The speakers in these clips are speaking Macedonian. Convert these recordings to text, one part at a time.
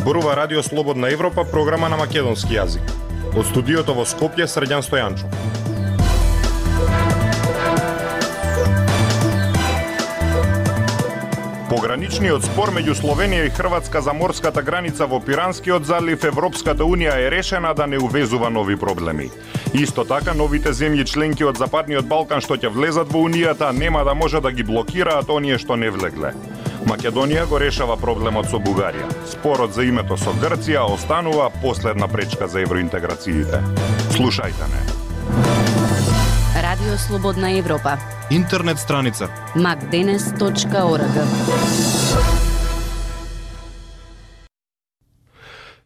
Зборува Радио Слободна Европа, програма на македонски јазик. Од студиото во Скопје, Срđan Стојанчов. Пограничниот спор меѓу Словенија и Хрватска за морската граница во Пиранскиот залив, Европската Унија е решена да не увезува нови проблеми. Исто така, новите земји членки од Западниот Балкан што ќе влезат во Унијата нема да може да ги блокираат оние што не влегле. Македонија го решава проблемот со Бугарија. Спорот за името со Грција останува последна пречка за евроинтеграциите. Слушајте не. Радио Слободна Европа. Интернет страница macdenes.org.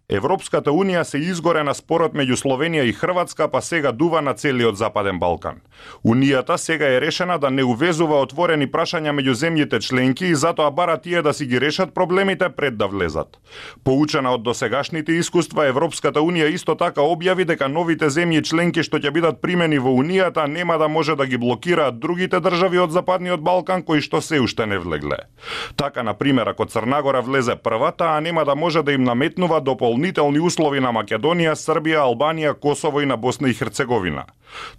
Европската Унија се изгоре на спорот меѓу Словенија и Хрватска, па сега дува на целиот Западен Балкан. Унијата сега е решена да не увезува отворени прашања меѓу земјите членки и затоа бара тие да си ги решат проблемите пред да влезат. Поучена од досегашните искуства, Европската Унија исто така објави дека новите земји членки што ќе бидат примени во Унијата нема да може да ги блокираат другите држави од Западниот Балкан кои што се уште не влегле. Така, на пример, ако Црнагора влезе прва, таа нема да може да им наметнува дополнителни услови на Македонија, Србија, Албанија, Косово и на Босна и Херцеговина.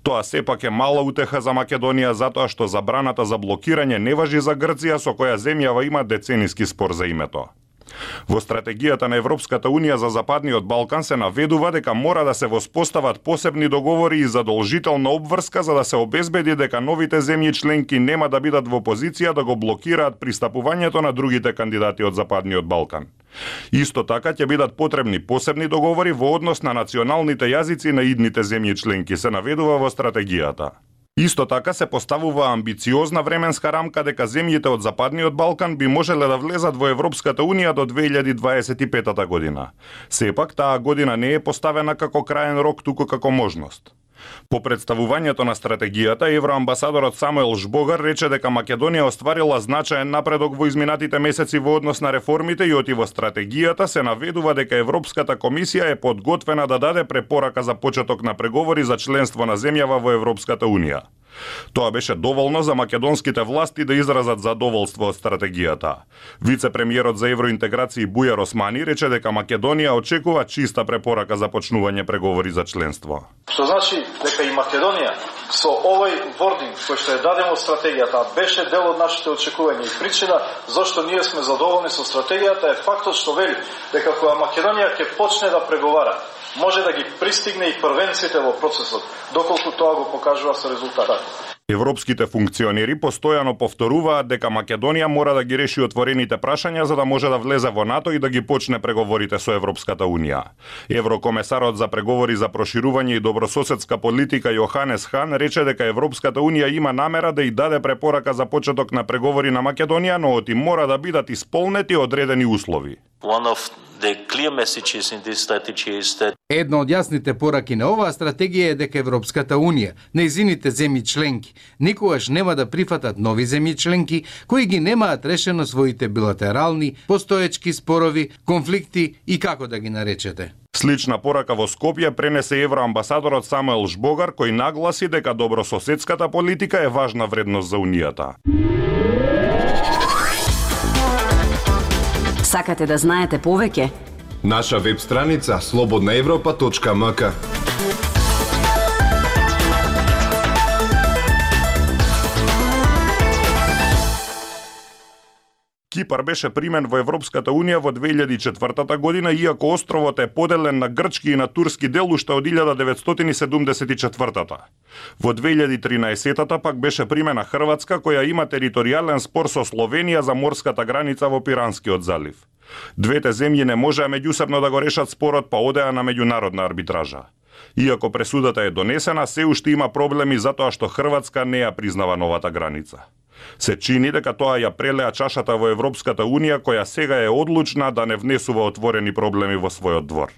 Тоа сепак е мала утеха за Македонија затоа што забраната за блокирање не важи за Грција, со која земјава има децениски спор за името. Во стратегијата на Европската Унија за Западниот Балкан се наведува дека мора да се воспостават посебни договори и задолжителна обврска за да се обезбеди дека новите земји членки нема да бидат во позиција да го блокираат пристапувањето на другите кандидати од Западниот Балкан. Исто така ќе бидат потребни посебни договори во однос на националните јазици на идните земји членки, се наведува во стратегијата. Исто така се поставува амбициозна временска рамка дека земјите од Западниот Балкан би можеле да влезат во Европската Унија до 2025 година. Сепак, таа година не е поставена како краен рок, туку како можност. По представувањето на стратегијата, евроамбасадорот Самуел Жбогар рече дека Македонија остварила значаен напредок во изминатите месеци во однос на реформите и оти во стратегијата се наведува дека Европската комисија е подготвена да даде препорака за почеток на преговори за членство на земјава во Европската Унија. Тоа беше доволно за македонските власти да изразат задоволство од стратегијата. Вице-премиерот за евроинтеграција Бујар Османи рече дека Македонија очекува чиста препорака за почнување преговори за членство. Што значи дека и Македонија со овој вординг кој што е даден од стратегијата беше дел од нашите очекувања и причина зашто ние сме задоволни со стратегијата е фактот што вели дека кога Македонија ќе почне да преговара, може да ги пристигне и првенците во процесот, доколку тоа го покажува со резултат. Европските функционери постојано повторуваат дека Македонија мора да ги реши отворените прашања за да може да влезе во НАТО и да ги почне преговорите со Европската Унија. Еврокомесарот за преговори за проширување и добрососедска политика Јоханес Хан рече дека Европската Унија има намера да и даде препорака за почеток на преговори на Македонија, но оти мора да бидат исполнети одредени услови. Една од јасните пораки на оваа стратегија е дека Европската Унија, нејзините земји членки, никогаш нема да прифатат нови земји членки кои ги немаат решено своите билатерални, постоечки спорови, конфликти и како да ги наречете. Слична порака во Скопје пренесе евроамбасадорот Самуел Жбогар, кој нагласи дека добрососедската политика е важна вредност за Унијата. Сакате да знаете повеќе? Наша веб страница slobodnaevropa.mk. Кипар беше примен во Европската Унија во 2004 година, иако островот е поделен на грчки и на турски дел уште од 1974. Во 2013 пак беше примена Хрватска, која има територијален спор со Словенија за морската граница во Пиранскиот залив. Двете земји не можеа меѓусебно да го решат спорот, па одеа на меѓународна арбитража. Иако пресудата е донесена, се уште има проблеми затоа што Хрватска не ја признава новата граница. Се чини дека тоа ја прелеа чашата во Европската Унија, која сега е одлучна да не внесува отворени проблеми во својот двор.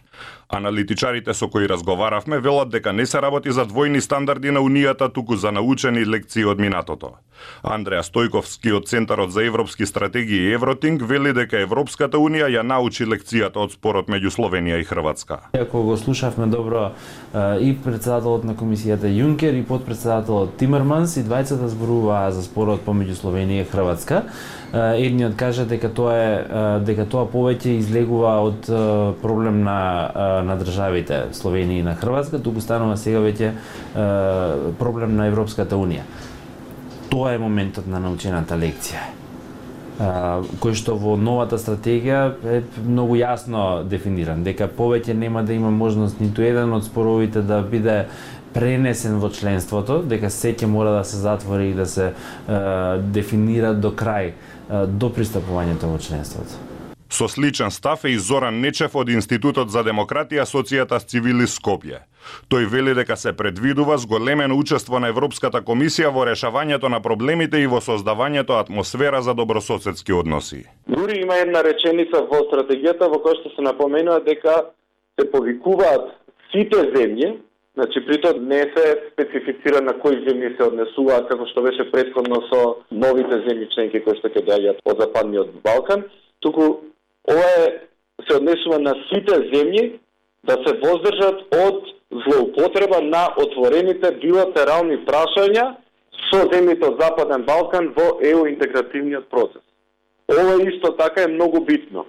Аналитичарите со кои разговаравме велат дека не се работи за двојни стандарди на Унијата, туку за научени лекции од минатото. Андреа Стојковски од Центарот за европски стратегии Евротинг вели дека Европската Унија ја научи лекцијата од спорот меѓу Словенија и Хрватска. Ако го слушавме добро и председателот на комисијата Јункер и подпредседателот Тимерманс, и двајцата зборуваа за спорот помеѓу Словенија и Хрватска. Едниот кажа дека тоа повеќе излегува од проблем на државите Словенија и на Хрватска, туку станува сега веќе проблем на Европската Унија. Тоа е моментот на научената лекција, кој што во новата стратегија е многу јасно дефиниран, дека повеќе нема да има можност ниту еден од споровите да биде пренесен во членството, дека сеќе мора да се затвори и да се дефинира до крај, до пристапувањето во членството. Со сличен став е и Зоран Нечев од Институтот за демократија Асоцијата Цивили Скопје. Тој вели дека се предвидува зголемено учество на Европската комисија во решавањето на проблемите и во создавањето атмосфера за добрососедски односи. Дури има една реченица во стратегијата во која што се напоменува дека се повикуваат сите земји, значи притоа не се специфицира на кои земји се однесуваат, како што беше претходно со новите земји членки кои што ќе доаѓаат од Западниот Балкан, туку ова се однесува на сите земји да се воздржат од злоупотреба на отворените билатерални прашања со земјите од Западен Балкан во ЕУ интегративниот процес. Ова исто така е многу битно,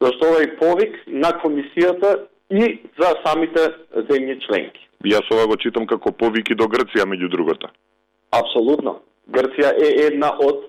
зашто ова е повик на комисијата и за самите земји членки. Јас ова го читам како повик и до Грција меѓу другото. Апсолутно. Грција е една од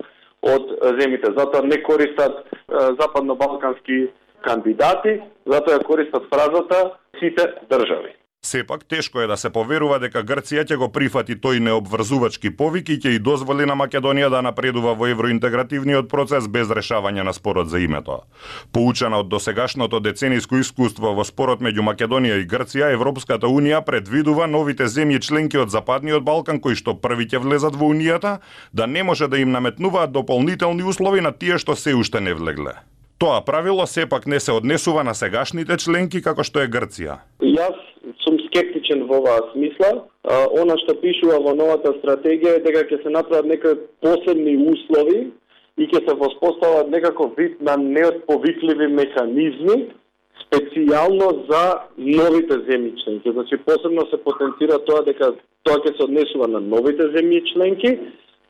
земјите, затоа не користат западно-балкански кандидати, затоа ја користат фразата сите држави. Сепак тешко е да се поверува дека Грција ќе го прифати тој необврзувачки повик и ќе и дозволи на Македонија да напредува во евроинтегративниот процес без решавање на спорот за името. Поучена од досегашното децениско искуство во спорот меѓу Македонија и Грција, Европската Унија предвидува новите земји членки од Западниот Балкан кои што први ќе влезат во Унијата да не може да им наметнуваат дополнителни услови на тие што се уште не влегле. Тоа правило сепак не се однесува на сегашните членки како што е Грција. Јас сум скептичен во оваа смисла. Она што пишува во новата стратегија е дека ќе се направат некои посебни услови и ќе се воспостават некаков вид на неотповикливи механизми специјално за новите земји членки. Значи посебно се потенцира тоа дека тоа ќе се однесува на новите земји членки,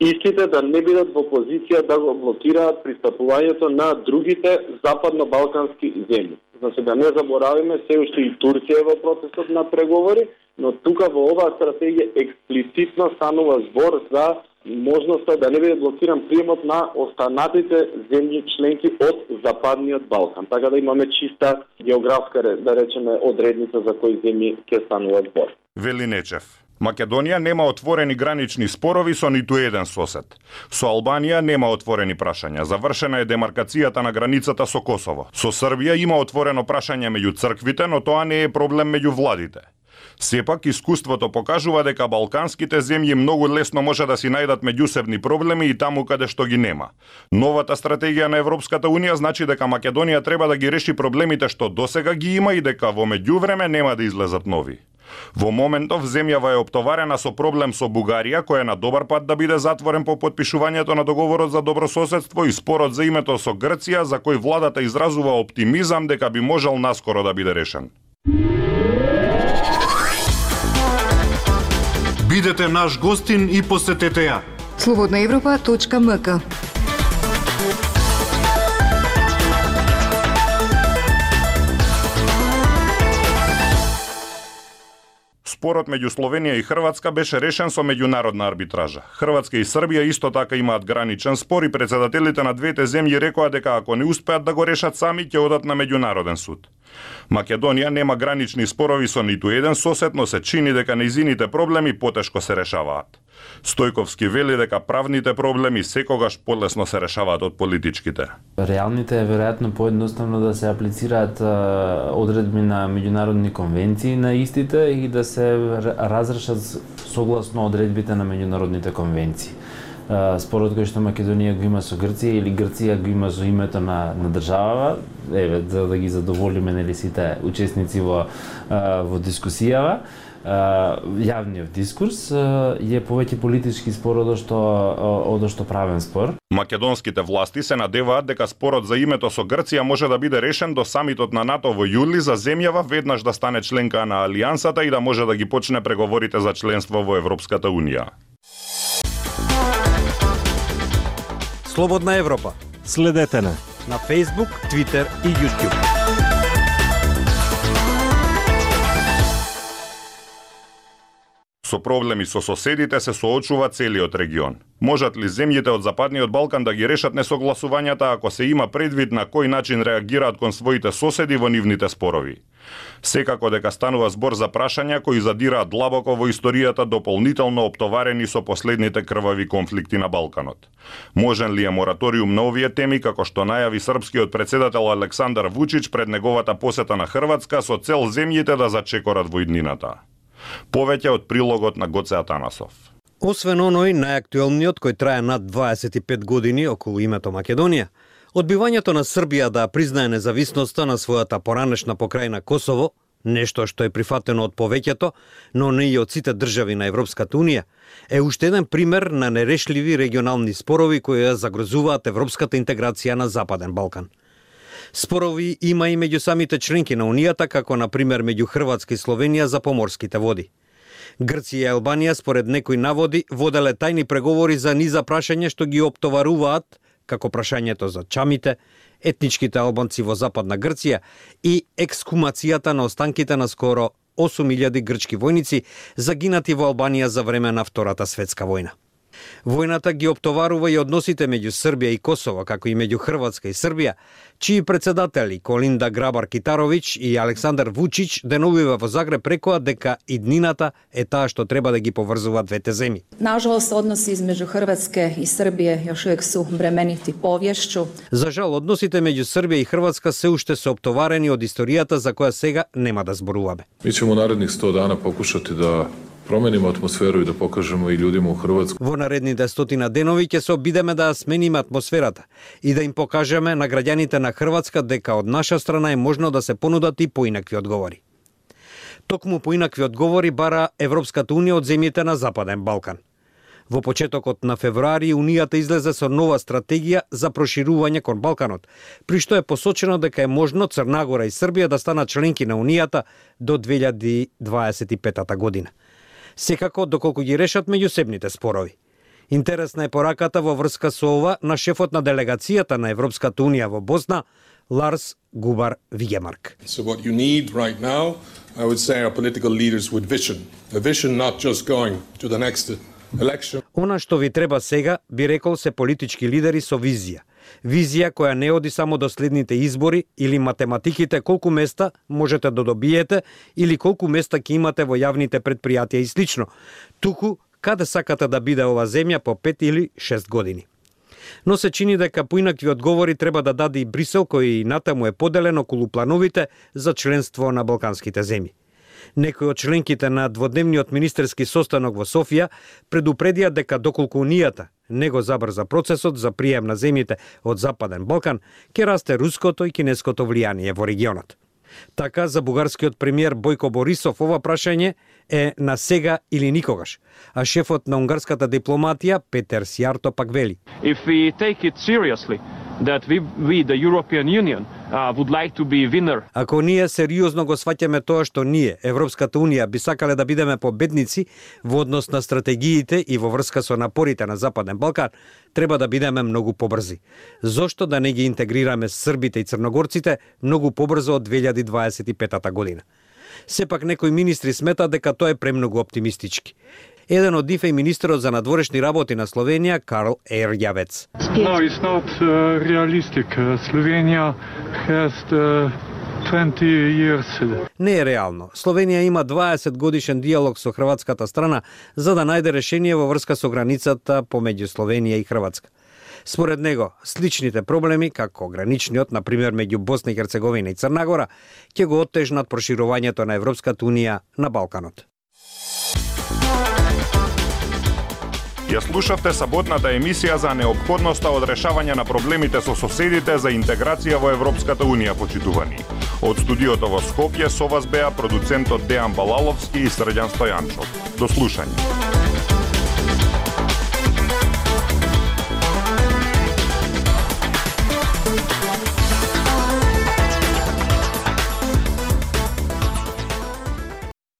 истите да не бидат во позиција да го блокираат пристапувањето на другите западно-балкански земји. Значи да не заборавиме, се уште и Турција е во процесот на преговори, но тука во оваа стратегија експлицитно станува збор за можноста да не биде блокиран приемот на останатите земји членки од Западниот Балкан. Така да имаме чиста географска, да речеме, одредница за кои земји ќе станува збор. Вели Нечев. Македонија нема отворени гранични спорови со ниту еден сосед. Со Албанија нема отворени прашања. Завршена е демаркацијата на границата со Косово. Со Србија има отворено прашање меѓу црквите, но тоа не е проблем меѓу владите. Сепак, искуството покажува дека балканските земји многу лесно може да си најдат меѓусебни проблеми и таму каде што ги нема. Новата стратегија на Европската Унија значи дека Македонија треба да ги реши проблемите што досега ги има и дека во меѓувреме нема да излезат нови. Во моментов земјава е оптоварена со проблем со Бугарија, кој е на добар пат да биде затворен по потпишувањето на договорот за добрососедство и спорот за името со Грција, за кој владата изразува оптимизам дека би можел наскоро да биде решен. Бидете наш гостин и посетете ја. slobodnaevropa.mk. Спорот меѓу Словенија и Хрватска беше решен со меѓународна арбитража. Хрватска и Србија исто така имаат граничен спор и председателите на двете земји рекоа дека ако не успеат да го решат сами, ќе одат на меѓународен суд. Македонија нема гранични спорови со ниту еден сосед, но се чини дека нејзините проблеми потешко се решаваат. Стојковски вели дека правните проблеми секогаш полесно се решаваат од политичките. Реалните е веројатно поедноставно да се аплицираат одредби на меѓународни конвенции на истите и да се разрешат согласно одредбите на меѓународните конвенции. спорот кој што Македонија го има со Грција или Грција го има со името на државава, еве за да ги задоволиме нели сите учесници во дискусијава. Јавниот дискурс е повеќе политички спор одошто правен спор. Македонските власти се надеваат дека спорот за името со Грција може да биде решен до самитот на НАТО во јули за земјава веднаш да стане членка на Алијансата и да може да ги почне преговорите за членство во Европската Унија. Слободна Европа. Следете на Facebook, Twitter и YouTube. Со проблеми со соседите се соочува целиот регион. Можат ли земјите од Западниот Балкан да ги решат несогласувањата ако се има предвид на кој начин реагираат кон своите соседи во нивните спорови? Секако дека станува збор за прашања кои задираат длабоко во историјата, дополнително оптоварени со последните крвави конфликти на Балканот. Можен ли е мораториум на овие теми, како што најави српскиот претседател Александар Вучич пред неговата посета на Хрватска со цел земјите да зачекорат во иднината? Повеќе од прилогот на Гоце Атанасов. Освен оној најактуелниот кој трае над 25 години околу името Македонија, одбивањето на Србија да признае независноста на својата поранешна покрајна Косово, нешто што е прифатено од повеќето, но не и од сите држави на Европската Унија, е уште еден пример на нерешливи регионални спорови кои ја загрозуваат европската интеграција на Западен Балкан. Спорови има и меѓу самите членки на Унијата, како на пример меѓу Хрватска и Словенија за поморските води. Грција и Албанија според некои наводи воделе тајни преговори за низа прашања што ги оптоваруваат, како прашањето за чамите, етничките албанци во Западна Грција и екскумацијата на останките на скоро 8.000 грчки војници загинати во Албанија за време на Втората светска војна. Војната ги оптоварува и односите меѓу Србија и Косово, како и меѓу Хрватска и Србија, чии председатели Колинда Грабар-Китаровиќ и Александар Вучич деновиве во Загреб рекоа дека иднината е таа што треба да ги поврзува двете земји. Nažalost, odnosi između Hrvatske i Srbije još uvijek su bremeniti povješću. За жал, односите меѓу Србија и Хрватска се уште се оптоварени од историјата за која сега нема да зборуваме. Mi ćemo narednih 100 dana pokušati da променимо атмосферу и да покажемо и луѓето у Хрватска. Во наредните 100 денови ќе се обидеме да смениме атмосферата и да им покажеме на граѓаните на Хрватска дека од наша страна е можно да се понудат и поинакви одговори. Токму поинакви одговори бара Европската Унија од земјите на Западен Балкан. Во почетокот на февруари Унијата излезе со нова стратегија за проширување кон Балканот, при што е посочено дека е можно Црна Гора и Србија да станат членки на Унијата до 2025 година. Секако доколку ги решат меѓусебните спорови. Интересна е пораката во врска со ова на шефот на делегацијата на Европската Унија во Босна, Ларс Губар Вигемарк. So what you need right now, I would say, are political leaders with vision. A vision not just going to the next election. Она што ви треба сега, би рекол, се политички лидери со визија. Визија која не оди само до следните избори или математиките колку места можете да добиете или колку места ќе имате во јавните предпријатија и слично, туку каде сакате да биде ова земја по 5 или 6 години. Но се чини дека поинакви одговори треба да даде и Брисел, кој и натаму е поделен околу плановите за членство на балканските земји. Некои од членките на дводневниот министерски состанок во Софија предупредија дека доколку Унијата не го забрза процесот за прием на земјите од Западен Балкан, ќе расте руското и кинеското влијание во регионот. Така, за бугарскиот премиер Бојко Борисов ова прашање е на сега или никогаш, а шефот на унгарската дипломатија Петер Сјарто пак вели: If we take it seriously, that we the European Union would like to be winner. Ако ние сериозно го сваќаме тоа што ние, Европската Унија, би сакале да бидеме победници во однос на стратегиите и во врска со напорите на Западен Балкан, треба да бидеме многу побрзи. Зошто да не ги интегрираме србите и црногорците многу побрзо од 2025 година? Сепак некои министри сметаат дека тоа е премногу оптимистички. Еден од нив е министерот за надворешни работи на Словенија, Карл Ерјавец. No, it's not realistic. Slovenia has 20 years. Не е реално. Словенија има 20 годишен диалог со хрватската страна за да најде решение во врска со границата помеѓу Словенија и Хрватска. Според него, сличните проблеми, како граничниот, например, меѓу Босна и Херцеговина и Црна Гора, ќе го оттежнат проширувањето на Европската Унија на Балканот. Ја слушавте саботната емисија за неопходноста од решавање на проблемите со соседите за интеграција во Европската Унија, почитувани. Од студиото во Скопје со вас беа продуцентот Дејан Балаловски и Срđan Стојанчов. До слушање.